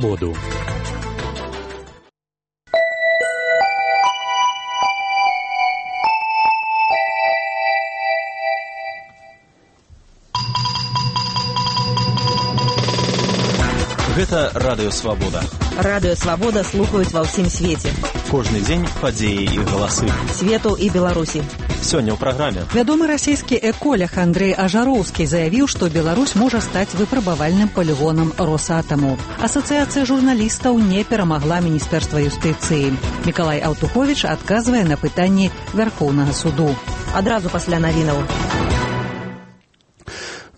Воду. Гэта Радыё Свабода. Радыё Свабода слухаюць ва ўсім свеце. Кожны дзень падзеі і галасы. Свету і Беларусі. Сёння ў праграме. Вядомы расійскі эколог Андрэй Ажароўскі заявіў, што Беларусь можа стаць выпрабавальным палігонам Росатаму. Асацыяцыя журналістаў не перамагла Міністэрства юстыцыі. Мікалай Аўтуховіч адказвае на пытанні Вярхоўнага суду. Адразу пасля навінаў.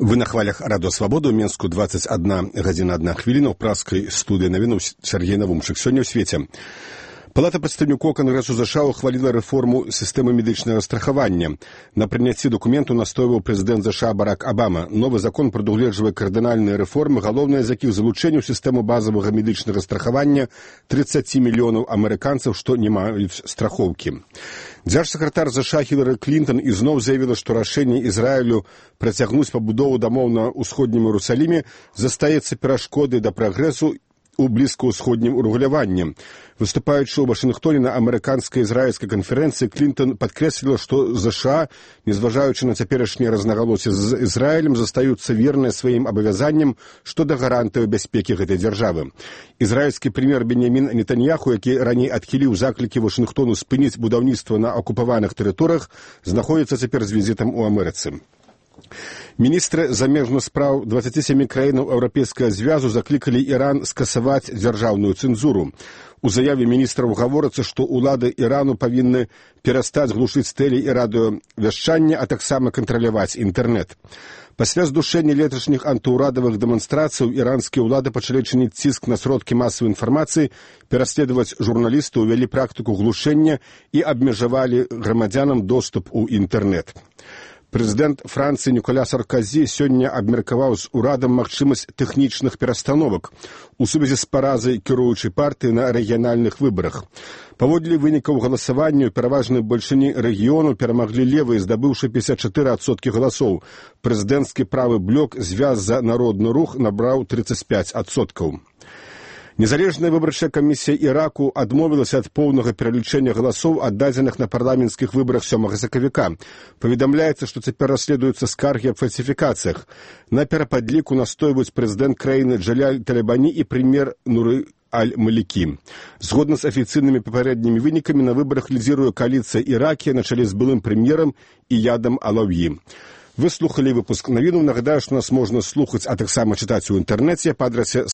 Вы на хвалях Радыё Свабода ў Менску 21 гадзіна 1 хвіліна ў праскай студыі навінаў Сергей Навумчык. Сёння ў свеце. Палата прадстаўнікоў Кангрэсу США ухваліла рэформу сістэмы медычнага страхавання. На прыняцці дакументу настойваў прэзідэнт США Барак Абама. Новы закон прадугледжвае кардынальныя рэформы, галоўнае з якіх залучэнне ў сістэму базавага медычнага страхавання 30 мільёнаў амерыканцаў, што не маюць страхоўкі. Дзяржсакратар США Хілары Клінтон ізноў заявіла, што рашэнне Ізраілю працягнуць пабудову дамоў на ўсходнім Іерусаліме застаецца перашкодай да прагрэсу у блізкаўсходнім урэгуляванні. Выступаючы ў Вашынгтоне на амерыканска-ізраільскай канферэнцыі, Клінтон падкрэсліла, што США, незважаючы на цяперашнія рознагалоссі з Ізраілем, застаюцца верныя сваім абавязанням што да гарантыяў бяспекі гэтай дзяржавы. Ізраільскі прэм'ер Беньямін Нетаньяху, які раней адхіліў заклікі Вашынгтону спыніць будаўніцтва на акупаваных тэрыторыях, знаходзіцца цяпер з візітам у Амерыцы. Міністры замежных спраў 27 краінаў Еўрапейскага звязу заклікалі Іран скасаваць дзяржаўную цэнзуру. У заяве міністраў гаворыцца, што ўлады Ірану павінны перастаць глушыць тэле- і радыёвяшчанне, а таксама кантраляваць інтэрнэт. Пасля здушэння леташніх антыўрадавых дэманстрацыяў іранскія ўлады пачалі чыніць ціск на сродкі масавай інфармацыі, пераследаваць журналістаў, увялі практыку глушэння і абмежавалі грамадзянам доступ у інтэрнэт. Прэзідэнт Францыі Ніколя Сарказі сёння абмеркаваў з урадам магчымасць тэхнічных перастановак у сувязі з паразай кіруючай партыі на рэгіянальных выбарах. Паводле вынікаў галасавання ў пераважнай большыні рэгіёну перамаглі левыя, здабыўшы 54% галасоў. Прэзідэнцкі правы блок «Звяз за народны рух» набраў 35%. Незалежная выбарчая камісія Іраку адмовілася ад поўнага пералічэння галасоў, аддадзеных на парламенцкіх выбарах 7 сакавіка. Паведамляецца, што цяпер расследуюцца скаргі аб фальсіфікацыях. На перападліку настойваюць прэзідэнт краіны Джаляль Талебані і прэм'ер Нуры Аль-Малікі. Згодна з афіцыйнымі папярэднімі вынікамі, на выбарах лідзіруе кааліцыя Іракія на чале з былым прэм'ерам Іядам Алаўі. Вы слухалі выпуск навінаў. Нагадаю, што нас можна слухаць, а таксама чытаць у інтэрнэце па адрасе